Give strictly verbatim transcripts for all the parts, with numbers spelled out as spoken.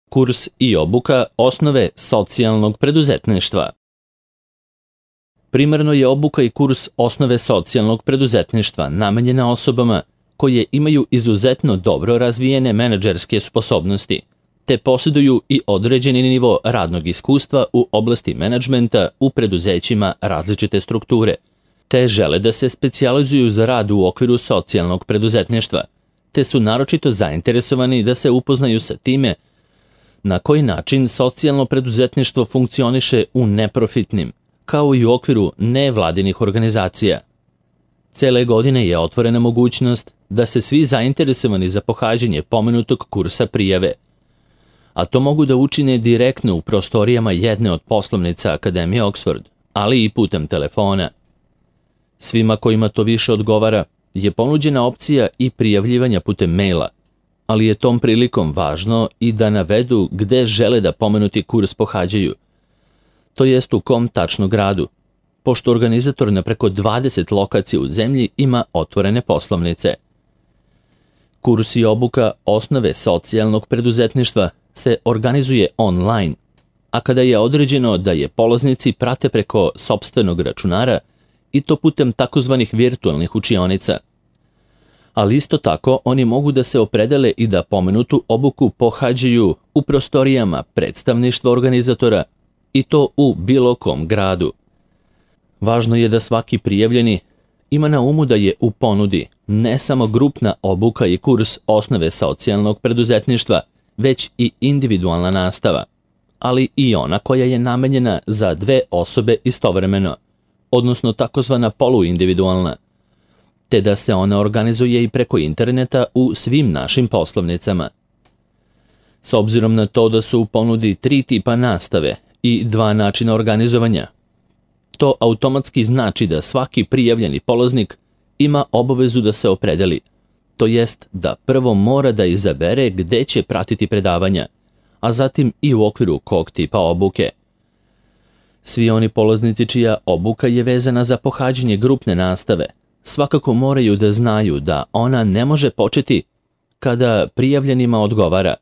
Kurs i obuka osnove socijalnog preduzetništva. Primarno je obuka i kurs osnove socijalnog preduzetništva namenjena osobama koje imaju izuzetno dobro razvijene menadžerske sposobnosti, te posjeduju i određeni nivo radnog iskustva u oblasti menadžmenta u preduzećima različite strukture, te žele da se specijalizuju za rad u okviru socijalnog preduzetništva, te su naročito zainteresovani da se upoznaju sa time na koji način socijalno preduzetništvo funkcioniše u neprofitnim, kao i u okviru nevladinih organizacija. Cele godine je otvorena mogućnost da se svi zainteresovani za pohađanje pomenutog kursa prijave, a to mogu da učine direktno u prostorijama jedne od poslovnica Akademije Oxford, ali i putem telefona. Svima kojima to više odgovara je ponuđena opcija i prijavljivanja putem maila, ali je tom prilikom važno i da navedu gde žele da pomenuti kurs pohađaju, to jest u kom tačno gradu, pošto organizator na preko dvadeset lokacija u zemlji ima otvorene poslovnice. Kurs i obuka osnove socijalnog preduzetništva se organizuje online, a kada je određeno da je polaznici prate preko sopstvenog računara i to putem takozvanih virtualnih učionica. Ali isto tako oni mogu da se opredele i da pomenutu obuku pohađaju u prostorijama predstavništva organizatora i to u bilo kom gradu. Važno je da svaki prijavljeni ima na umu da je u ponudi ne samo grupna obuka i kurs osnove socijalnog preduzetništva, već i individualna nastava, ali i ona koja je namenjena za dve osobe istovremeno, odnosno takozvana poluindividualna, te da se ona organizuje i preko interneta u svim našim poslovnicama. S obzirom na to da su u ponudi tri tipa nastave i dva načina organizovanja, to automatski znači da svaki prijavljeni polaznik ima obavezu da se opredeli, to jest da prvo mora da izabere gde će pratiti predavanja, a zatim i u okviru kog tipa obuke. Svi oni polaznici čija obuka je vezana za pohađanje grupne nastave svakako moraju da znaju da ona ne može početi kada prijavljenima odgovara,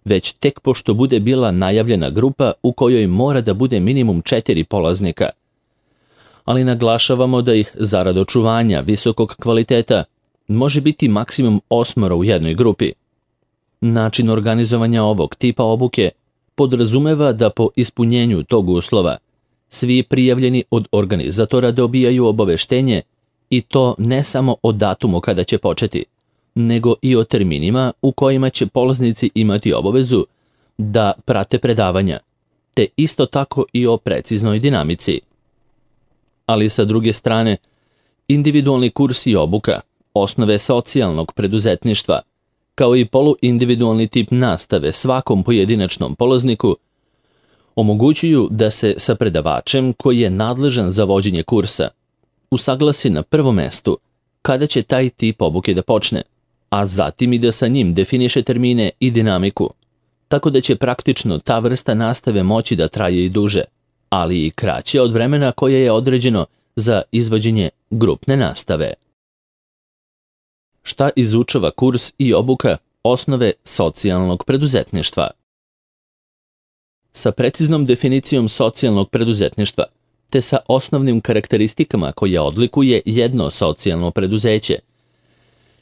već tek pošto bude bila najavljena grupa u kojoj mora da bude minimum četiri polaznika. Ali naglašavamo da ih zarad očuvanja visokog kvaliteta može biti maksimum osmoro u jednoj grupi. Način organizovanja ovog tipa obuke podrazumeva da po ispunjenju tog uslova svi prijavljeni od organizatora dobijaju obaveštenje i to ne samo o datumu kada će početi, nego i o terminima u kojima će polaznici imati obavezu da prate predavanja, te isto tako i o preciznoj dinamici. Ali sa druge strane, individualni kurs i obuka osnove socijalnog preduzetništva, kao i poluindividualni tip nastave svakom pojedinačnom polazniku, omogućuju da se sa predavačem koji je nadležan za vođenje kursa usaglasi na prvom mestu kada će taj tip obuke da počne, a zatim i da sa njim definiše termine i dinamiku, tako da će praktično ta vrsta nastave moći da traje i duže, ali i kraće od vremena koje je određeno za izvođenje grupne nastave. Šta izučava kurs i obuka osnove socijalnog preduzetništva? Sa preciznom definicijom socijalnog preduzetništva, te sa osnovnim karakteristikama koje odlikuje jedno socijalno preduzeće,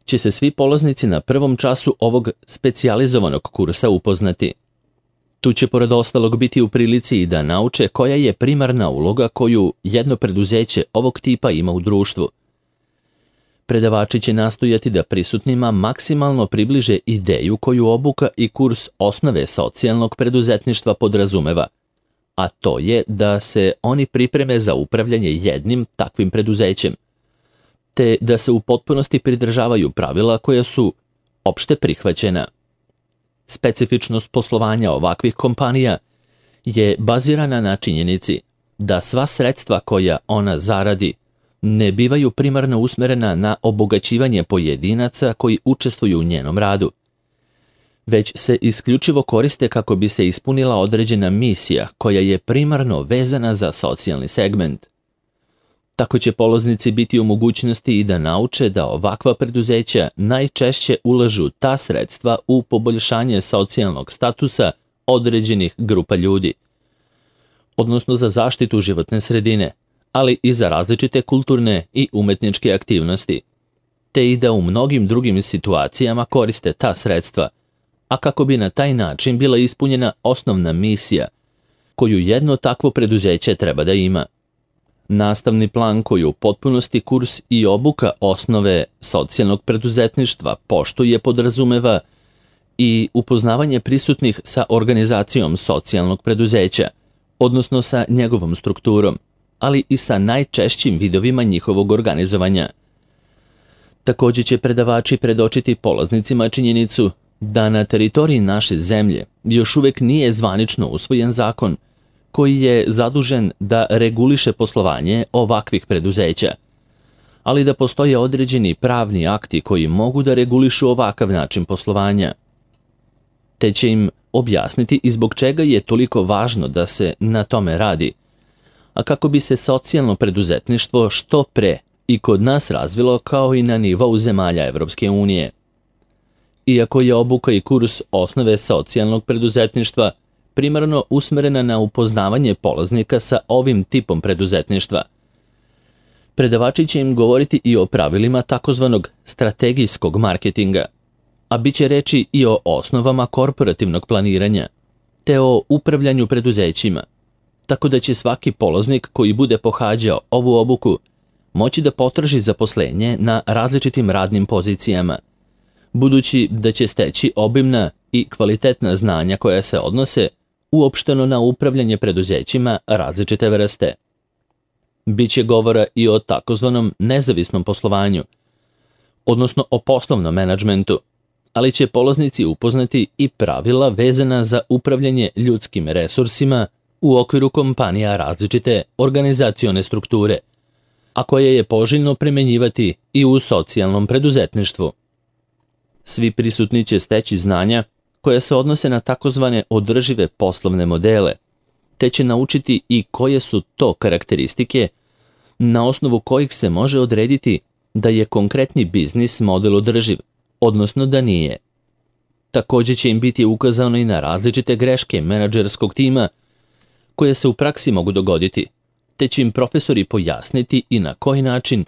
će se svi polaznici na prvom času ovog specijalizovanog kursa upoznati. Tu će pored ostalog biti u prilici i da nauče koja je primarna uloga koju jedno preduzeće ovog tipa ima u društvu. Predavači će nastojati da prisutnima maksimalno približe ideju koju obuka i kurs osnove socijalnog preduzetništva podrazumeva, a to je da se oni pripreme za upravljanje jednim takvim preduzećem, te da se u potpunosti pridržavaju pravila koja su opšte prihvaćena. Specifičnost poslovanja ovakvih kompanija je bazirana na činjenici da sva sredstva koja ona zaradi ne bivaju primarno usmerena na obogaćivanje pojedinaca koji učestvuju u njenom radu, već se isključivo koriste kako bi se ispunila određena misija koja je primarno vezana za socijalni segment. Tako će polaznici biti u mogućnosti i da nauče da ovakva preduzeća najčešće ulažu ta sredstva u poboljšanje socijalnog statusa određenih grupa ljudi, odnosno za zaštitu životne sredine, ali i za različite kulturne i umetničke aktivnosti, te i da u mnogim drugim situacijama koriste ta sredstva, a kako bi na taj način bila ispunjena osnovna misija koju jedno takvo preduzeće treba da ima. Nastavni plan koji u potpunosti kurs i obuka osnove socijalnog preduzetništva poštuje podrazumeva i upoznavanje prisutnih sa organizacijom socijalnog preduzeća, odnosno sa njegovom strukturom, ali i sa najčešćim vidovima njihovog organizovanja. Također će predavači predočiti polaznicima činjenicu da na teritoriji naše zemlje još uvijek nije zvanično usvojen zakon koji je zadužen da reguliše poslovanje ovakvih preduzeća, ali da postoje određeni pravni akti koji mogu da regulišu ovakav način poslovanja. Te će im objasniti i zbog čega je toliko važno da se na tome radi, a kako bi se socijalno preduzetništvo što pre i kod nas razvilo kao i na nivou zemalja Evropske unije. Iako je obuka i kurs osnove socijalnog preduzetništva primarno usmerena na upoznavanje polaznika sa ovim tipom preduzetništva, predavači će im govoriti i o pravilima takozvanog strategijskog marketinga, a bit će reći i o osnovama korporativnog planiranja, te o upravljanju preduzećima, tako da će svaki polaznik koji bude pohađao ovu obuku moći da potraži zaposlenje na različitim radnim pozicijama, budući da će steći obimna i kvalitetna znanja koja se odnose uopšteno na upravljanje preduzećima različite vrste. Biće govora i o takozvanom nezavisnom poslovanju, odnosno o poslovnom menadžmentu, ali će polaznici upoznati i pravila vezana za upravljanje ljudskim resursima u okviru kompanija različite organizacione strukture, a koje je poželjno primenjivati i u socijalnom preduzetništvu. Svi prisutni će steći znanja koja se odnose na takozvane održive poslovne modele, te će naučiti i koje su to karakteristike na osnovu kojih se može odrediti da je konkretni biznis model održiv, odnosno da nije. Također će im biti ukazano i na različite greške menadžerskog tima koje se u praksi mogu dogoditi, te će im profesori pojasniti i na koji način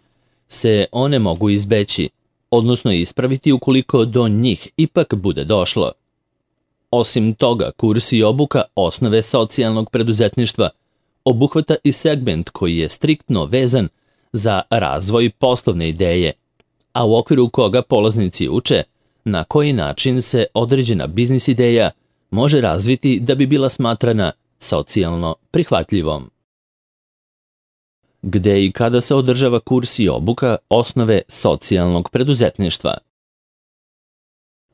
se one mogu izbeći, odnosno ispraviti ukoliko do njih ipak bude došlo. Osim toga, kurs i obuka osnove socijalnog preduzetništva obuhvata i segment koji je striktno vezan za razvoj poslovne ideje, a u okviru koga polaznici uče na koji način se određena biznis ideja može razviti da bi bila smatrana socijalno prihvatljivom. Gde i kada se održava kurs i obuka osnove socijalnog preduzetništva?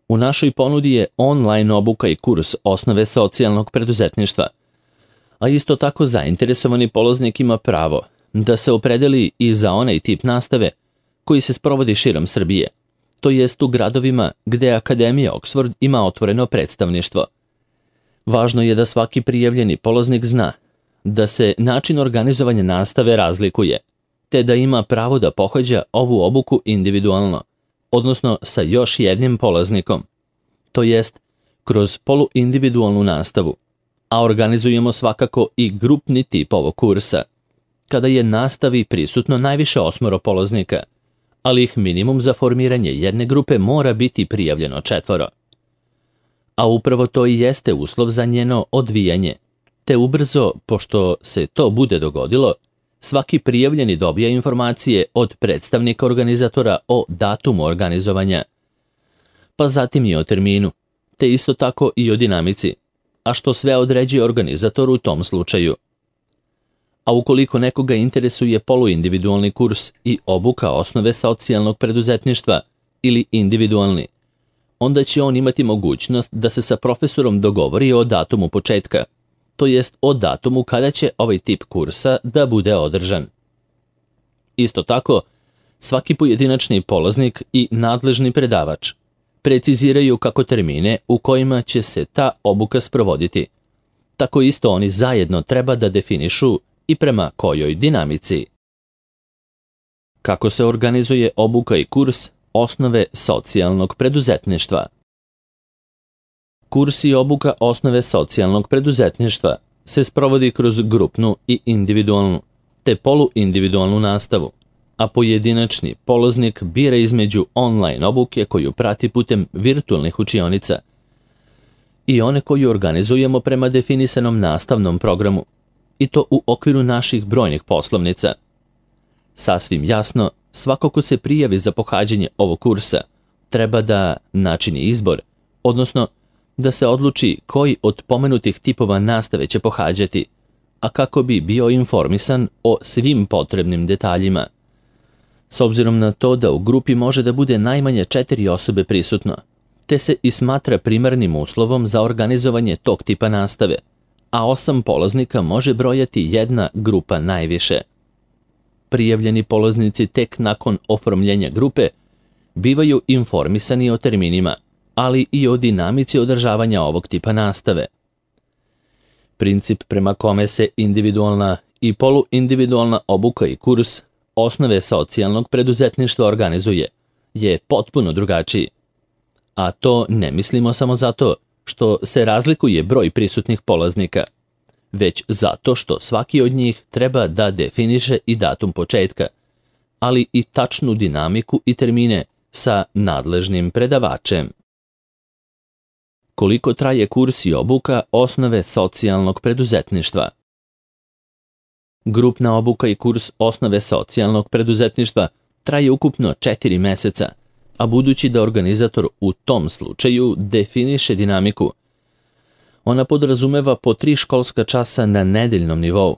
U našoj ponudi je online obuka i kurs osnove socijalnog preduzetništva, a isto tako zainteresovani polaznik ima pravo da se opredeli i za onaj tip nastave koji se sprovodi širom Srbije, to jest u gradovima gde Akademija Oxford ima otvoreno predstavništvo. Važno je da svaki prijavljeni polaznik zna da se način organizovanja nastave razlikuje, te da ima pravo da pohađa ovu obuku individualno, odnosno sa još jednim polaznikom, to jest kroz poluindividualnu nastavu, a organizujemo svakako i grupni tip ovog kursa, kada je nastavi prisutno najviše osmoro polaznika, ali ih minimum za formiranje jedne grupe mora biti prijavljeno četvoro. A upravo to i jeste uslov za njeno odvijanje, te ubrzo, pošto se to bude dogodilo, svaki prijavljeni dobija informacije od predstavnika organizatora o datumu organizovanja, pa zatim i o terminu, te isto tako i o dinamici, a što sve određuje organizator u tom slučaju. A ukoliko nekoga interesuje poluindividualni kurs i obuka osnove socijalnog preduzetništva ili individualni, onda će on imati mogućnost da se sa profesorom dogovori o datumu početka, to jest o datumu kada će ovaj tip kursa da bude održan. Isto tako, svaki pojedinačni polaznik i nadležni predavač preciziraju kako termine u kojima će se ta obuka sprovoditi. Tako isto oni zajedno treba da definišu i prema kojoj dinamici. Kako se organizuje obuka i kurs osnove socijalnog preduzetništva? Kurs i obuka osnove socijalnog preduzetništva se sprovodi kroz grupnu i individualnu, te poluindividualnu nastavu, a pojedinačni polaznik bira između online obuke koju prati putem virtualnih učionica i one koju organizujemo prema definisanom nastavnom programu, i to u okviru naših brojnih poslovnica. Sasvim jasno, svako ko se prijavi za pohađanje ovog kursa treba da načini izbor, odnosno da se odluči koji od pomenutih tipova nastave će pohađati, a kako bi bio informisan o svim potrebnim detaljima. S obzirom na to da u grupi može da bude najmanje četiri osobe prisutno, te se i smatra primarnim uslovom za organizovanje tog tipa nastave, a osam polaznika može brojati jedna grupa najviše. Prijavljeni polaznici tek nakon oformljenja grupe bivaju informisani o terminima, ali i o dinamici održavanja ovog tipa nastave. Princip prema kome se individualna i poluindividualna obuka i kurs osnove socijalnog preduzetništva organizuje je potpuno drugačiji. A to ne mislimo samo zato što se razlikuje broj prisutnih polaznika, već zato što svaki od njih treba da definiše i datum početka, ali i tačnu dinamiku i termine sa nadležnim predavačem. Koliko traje kurs i obuka osnove socijalnog preduzetništva? Grupna obuka i kurs osnove socijalnog preduzetništva traje ukupno četiri meseca, a budući da organizator u tom slučaju definiše dinamiku, ona podrazumeva po tri školska časa na nedeljnom nivou.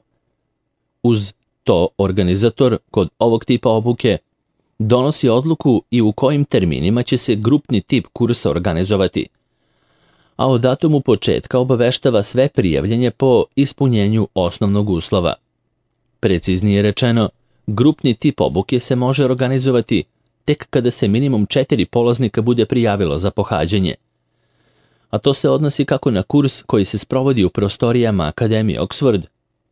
Uz to organizator kod ovog tipa obuke donosi odluku i u kojim terminima će se grupni tip kursa organizovati, a o datumu početka obaveštava sve prijavljanje po ispunjenju osnovnog uslova. Preciznije rečeno, grupni tip obuke se može organizovati tek kada se minimum četiri polaznika bude prijavilo za pohađanje, a to se odnosi kako na kurs koji se sprovodi u prostorijama Akademije Oxford,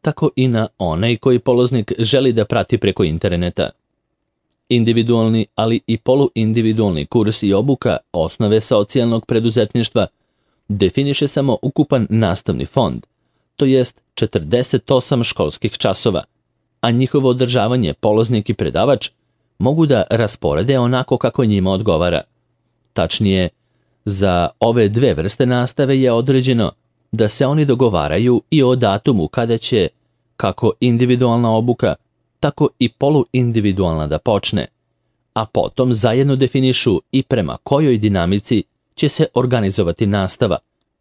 tako i na onaj koji polaznik želi da prati preko interneta. Individualni, ali i poluindividualni kurs i obuka osnove socijalnog preduzetništva definiše samo ukupan nastavni fond, to jest četrdeset osam školskih časova, a njihovo održavanje polaznik i predavač mogu da rasporede onako kako njima odgovara. Tačnije, za ove dve vrste nastave je određeno da se oni dogovaraju i o datumu kada će kako individualna obuka, tako i poluindividualna da počne, a potom zajedno definišu i prema kojoj dinamici će se organizovati nastava,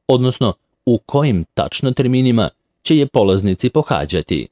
odnosno u kojim tačno terminima će je polaznici pohađati.